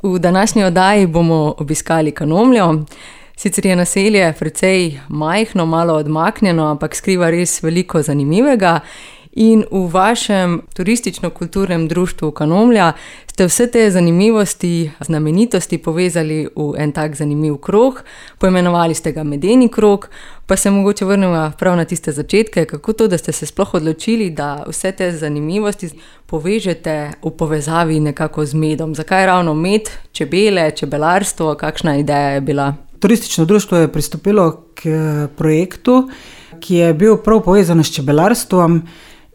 V današnji oddaji bomo obiskali Kanomljo. Sicer je naselje precej majhno, malo odmaknjeno, ampak skriva res veliko zanimivega. In v vašem turistično-kulturnem društvu Kanomlja ste vse te zanimivosti, znamenitosti povezali v en tak zanimiv krog, poimenovali ste ga Medeni krog, pa se mogoče vrnemo prav na tiste začetke, kako to, da ste se sploh odločili, da vse te zanimivosti povežete v povezavi nekako z medom. Zakaj ravno med, čebele, čebelarstvo, kakšna ideja je bila? Turistično društvo je pristopilo k projektu, ki je bil prav povezan s čebelarstvom,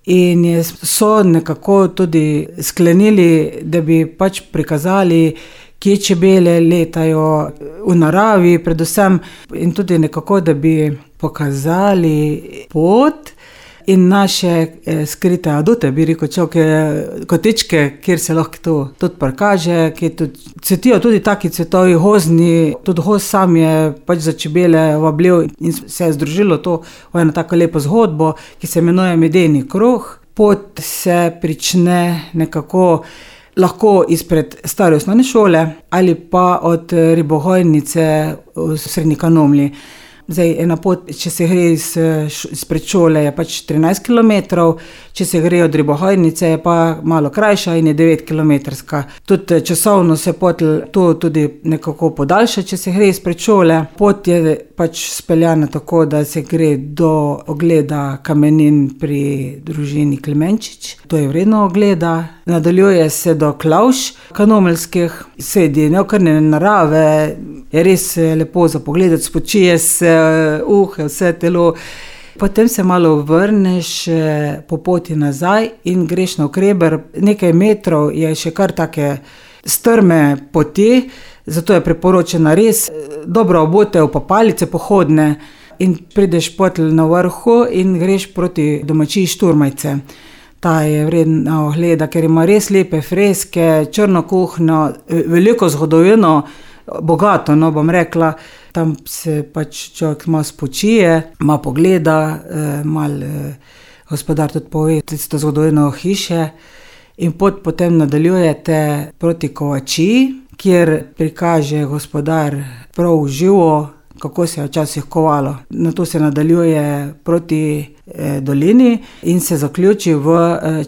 in so nekako tudi sklenili, da bi pač prikazali, kje čebele letajo v naravi predvsem, in tudi nekako, da bi pokazali pot in naše skrite adute, bi rekel človek, kotičke, kjer se lahko to tudi prikaže, kjer tudi cvetijo tudi taki cvetovi gozdni, tudi gozd sam je pač za čebele vabljiv in se je združilo to v eno tako lepo zgodbo, ki se imenuje Medeni krog. Pot se prične nekako lahko izpred stare osnovne šole ali pa od ribogojnice v Srednji Kanomlji. Zdaj, ena pot, če se gre izpred šole, je pač 13 km, če se gre od ribogojnice, je pa malo krajša in je 9 km. Tudi časovno se pot to tudi nekako podaljša, če se gre izpred šole. Pot je pač speljana tako, da se gre do ogleda kamenin pri družini Klemenčič. To je vredno ogleda. Nadaljuje se do klavš kanomeljskih, sredi neokrnjene narave, je res lepo za pogledati, spočije se vse telo. Potem se malo vrneš po poti nazaj in greš navkreber. Nekaj metrov je še kar take strme poti, zato je priporočena res dobro obute v palice pohodne in prideš potem na vrhu in greš proti domačiji Šturmajce. Ta je vredna ogleda, ker ima res lepe freske, črno kuhinjo, veliko zgodovino, bogato, no bom rekla. Tam se pač človek malo spočije, malo pogleda, malo gospodar tudi pove tisto zgodovino hiše in potem nadaljujete proti Kovačiji, kjer prikaže gospodar prav živo, kako se je včasih kovalo. Nato se nadaljuje proti dolini in se zaključi v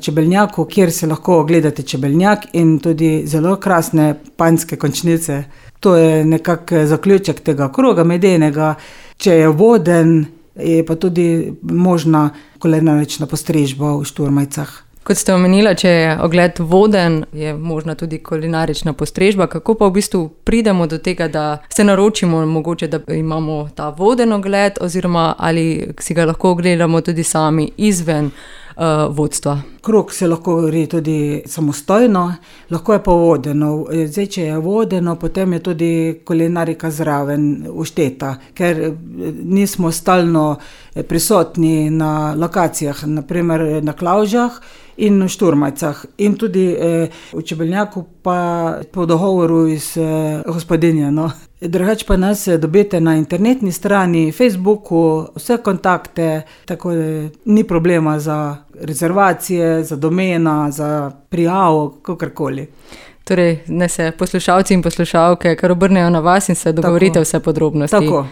Čebelnjaku, kjer se lahko ogledate Čebelnjak in tudi zelo krasne panjske končnice. To je nekak zaključek tega kroga medenega. Če je voden, je pa tudi možna kulinarična postrežba v Šturmajcah. Kot ste omenila, če je ogled voden, je možna tudi kulinarična postrežba. Kako pa v bistvu pridemo do tega, da se naročimo mogoče, da imamo ta voden ogled, oziroma ali si ga lahko ogledamo tudi sami izven vodstva? Krog se lahko gre tudi samostojno, lahko je pa vodeno. Zdaj, če je vodeno, potem je tudi kulinarika zraven ušteta, ker nismo stalno prisotni na lokacijah, naprimer na Klavžah in v Šturmajcah. In tudi v Čebelnjaku pa po dogovoru iz gospodinje. No. Drugače pa nas dobite na internetni strani, Facebooku, vse kontakte, tako da ni problema za rezervacije, za domena, za prijavo, kakorkoli. Torej, ne se poslušalci in poslušalke kar obrnejo na vas in se dogovorite vse podrobnosti. Tako.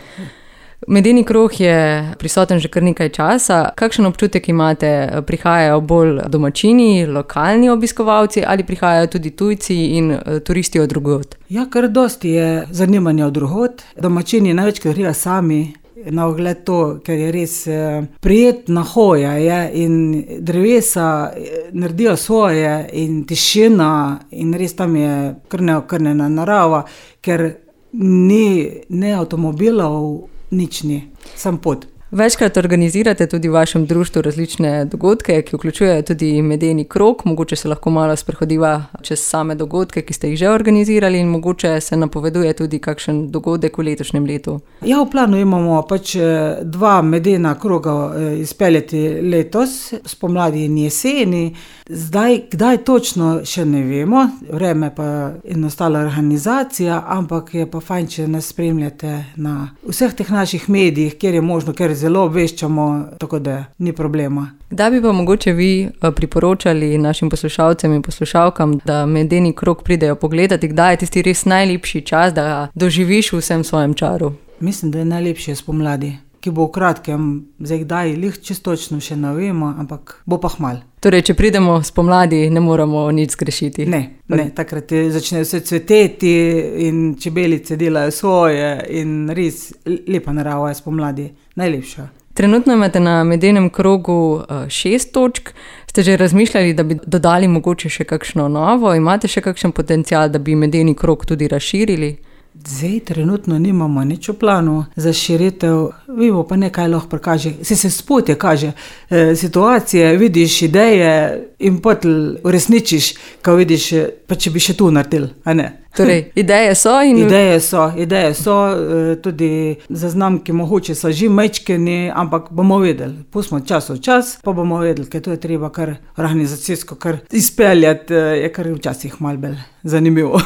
Medeni krog je prisoten že kar nekaj časa. Kakšen občutek imate? Prihajajo bolj domačini, lokalni obiskovalci ali prihajajo tudi tujci in turisti od drugod? Ja, kar dosti je zanimanja od drugod. Domačini največkrat grejo sami na ogled to, ker je res prijetna hoja je, in drevesa naredijo svoje in tišina in res tam je kar neokrnjena narava, ker ni ne avtomobilov, nič ni, sam pot. Večkrat organizirate tudi v vašem društvu različne dogodke, ki vključujejo tudi Medeni krog. Mogoče se lahko malo sprehodiva čez same dogodke, ki ste jih že organizirali, in mogoče se napoveduje tudi kakšen dogodek v letošnjem letu. Ja, v planu imamo pač 2 medena kroga izpeljati letos, spomladi in jeseni. Zdaj, kdaj točno, še ne vemo, vreme pa je nastala organizacija, ampak je pa fajn, če nas spremljate na vseh teh naših medijih, kjer je možno, ker zelo obveščamo, tako da ni problema. Da bi pa mogoče vi priporočali našim poslušalcem in poslušalkam, da medeni krog pridejo pogledati, kdaj je tisti res najlepši čas, da ga doživiš v vsem svojem čaru? Mislim, da je najlepše spomladi, ki bo v kratkem, zdaj kdaj čisto točno še ne vemo, ampak bo pa hmal. Torej, če pridemo spomladi, ne moramo nič zgrešiti. Ne, takrat začne vse cveteti in čebelice delajo svoje in res lepa narava je spomladi, najlepša. Trenutno imate na medenem krogu 6 točk. Ste že razmišljali, da bi dodali mogoče še kakšno novo? Imate še kakšen potencial, da bi medeni krog tudi razširili? Zdaj trenutno nimamo nič v planu za širitev, vidimo pa nekaj lahko prikaže. Se sproti kaže situacije, vidiš ideje in potem uresničiš, ko vidiš, pa če bi še tu naredil, a ne? Torej, ideje so in... Ideje so, tudi zaznamki mogoče so že majčkeni, ampak bomo vedeli. Pustimo čas v čas, pa bomo vedeli, ker to je treba kar organizacijsko kar izpeljati, je kar včasih malo bolj zanimivo.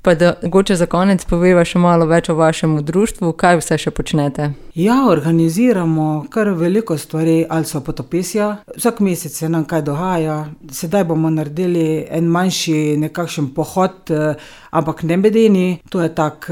Pa da mogoče za konec poveva še malo več o vašem društvu, kaj vse še počnete? Ja, organiziramo kar veliko stvari, ali so potopisja. Vsak mesec se nam kaj dogaja. Sedaj bomo naredili en manjši nekakšen pohod, ampak ne medeni. To je tak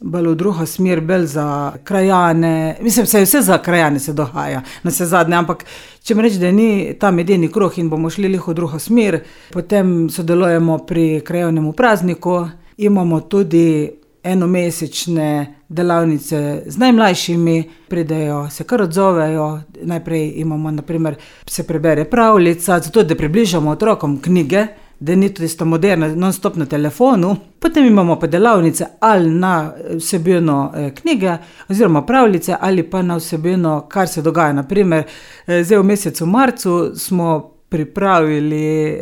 bolj v drugo smer, bolj za krajane. Mislim, vse za krajane se dogaja, na vse zadnje, ampak če mi reči, da ni ta medeni krog in bomo šli v drugo smer, potem sodelujemo pri krajevnemu prazniku. Imamo tudi enomesečne delavnice z najmlajšimi, pridejo, se kar odzovejo. Najprej imamo, naprimer, se prebere pravljica, zato da približamo otrokom knjige, da ni tudi sta moderna, non-stop na telefonu. Potem imamo pa delavnice ali na vsebino knjige, oziroma pravljice, ali pa na vsebino, kar se dogaja. Naprimer, zdaj v mesecu marcu smo pripravili,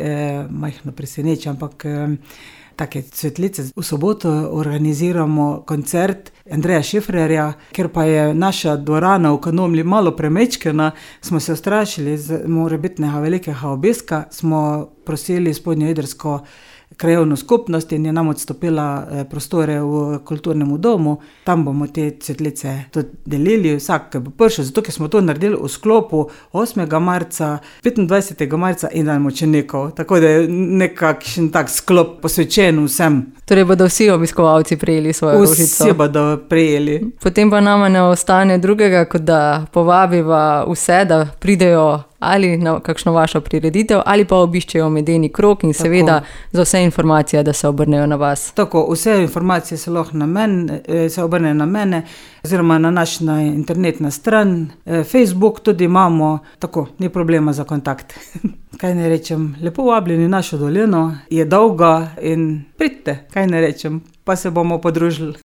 majhno presenečenje, ampak take cvetlice. V soboto organiziramo koncert Andreja Šifrerja, ker pa je naša dvorana v Kanomlji malo premečkena, smo se ustrašili morebitnega velikega obiska, smo prosili spodnjoidrsko krajevno skupnost in je nam odstopila prostore v kulturnem domu. Tam bomo te cvetlice tudi delili, vsak bo prišel, zato ker smo to naredili v sklopu 8. marca, 25. marca in dan mučenikov. Tako da je nekakšen tak sklop posvečen vsem. Torej bodo vsi obiskovalci prejeli svojo rožico. Vsi bodo prejeli. Potem pa nama ne ostane drugega, kot da povabiva vse, da pridejo ali na kakšno vašo prireditev, ali pa obiščejo medeni krog in seveda za vse informacije, da se obrnejo na vas. Tako, vse informacije se lahko se obrnejo na mene, oziroma na naš internetna stran, Facebook tudi imamo, tako, ni problema za kontakt. Kaj ne rečem, lepo vabljeni našo dolino, je dolga in pridite, kaj ne rečem, pa se bomo podružili.